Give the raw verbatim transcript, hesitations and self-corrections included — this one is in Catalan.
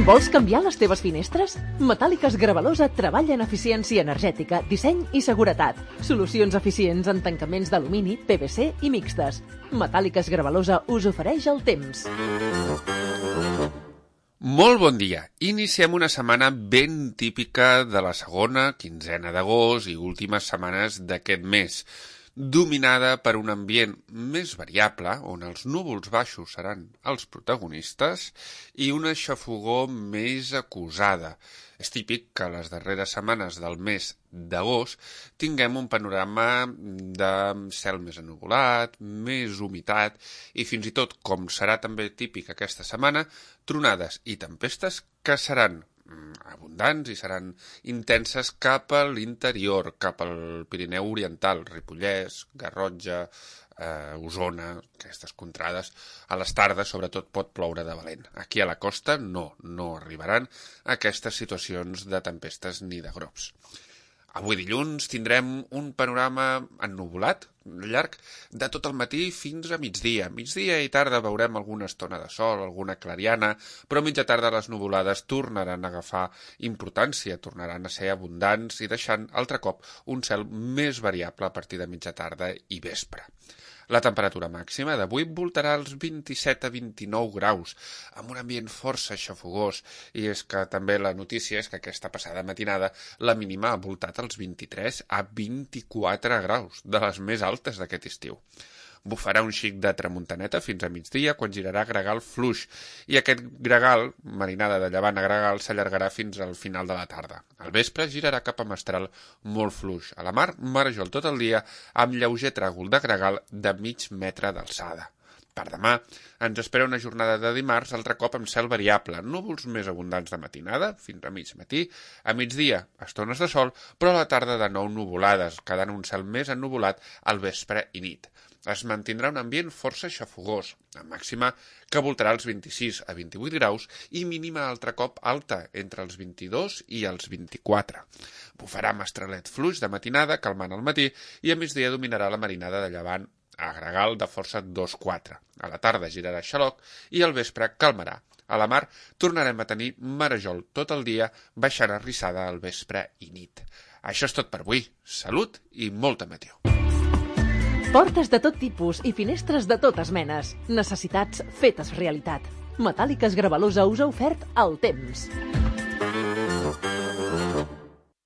Vols canviar les teves finestres? Metàl·liques Gravalosa treballa en eficiència energètica, disseny i seguretat. Solucions eficients en tancaments d'alumini, P V C i mixtes. Metàl·liques Gravalosa us ofereix el temps. Molt bon dia. Iniciem una setmana ben típica de la segona quinzena d'agost i últimes setmanes d'aquest mes, dominada per un ambient més variable, on els núvols baixos seran els protagonistes, i una xafogor més acusada. És típic que les darreres setmanes del mes d'agost tinguem un panorama de cel més ennuvolat, més humitat i fins i tot, com serà també típic aquesta setmana, tronades i tempestes que seran abundants i seran intenses cap a l'interior, cap al Pirineu Oriental, Ripollès, Garrotxa, eh, Osona, aquestes contrades. A les tardes, sobretot, pot ploure de valent. Aquí a la costa no, no arribaran aquestes situacions de tempestes ni de grops. Avui dilluns tindrem un panorama ennuvolat, llarg, de tot el matí fins a migdia. Migdia i tarda veurem alguna estona de sol, alguna clariana, però a mitja tarda les nuvolades tornaran a agafar importància, tornaran a ser abundants i deixant altre cop un cel més variable a partir de mitja tarda i vespre. La temperatura màxima d'avui voltarà als vint-i-set a vint-i-nou graus, amb un ambient força xafogós, i és que també la notícia és que aquesta passada matinada la mínima ha voltat als vint-i-tres a vint-i-quatre graus, de les més altes d'aquest estiu. Bufarà un xic de tramuntaneta fins a migdia, quan girarà gregal fluix, i aquest gregal, marinada de llevant a gregal, s'allargarà fins al final de la tarda. Al vespre girarà cap a mestral molt fluix. A la mar, marejol tot el dia, amb lleuger tràgol de gregal de mig metre d'alçada. Per demà ens espera una jornada de dimarts altre cop amb cel variable, núvols més abundants de matinada, fins a mig matí, a migdia estones de sol, però a la tarda de nou nuvolades, quedant un cel més ennuvolat al vespre i nit. Es mantindrà un ambient força xafogós, a màxima que voltarà als vint-i-sis a vint-i-vuit graus i mínima altre cop alta, entre els vint-i-dos i els vint-i-quatre. Bufarà mestralet fluix de matinada, calmant al matí, i a migdia dominarà la marinada de llevant a gregal de força dos quatre. A la tarda girarà xaloc i al vespre calmarà. A la mar tornarem a tenir marejol tot el dia, baixant arrissada al vespre i nit. Això és tot per avui. Salut i molta meteor. Portes de tot tipus i finestres de totes menes. Necessitats fetes realitat. Metàl·liques Gravalosa us ha ofert el temps.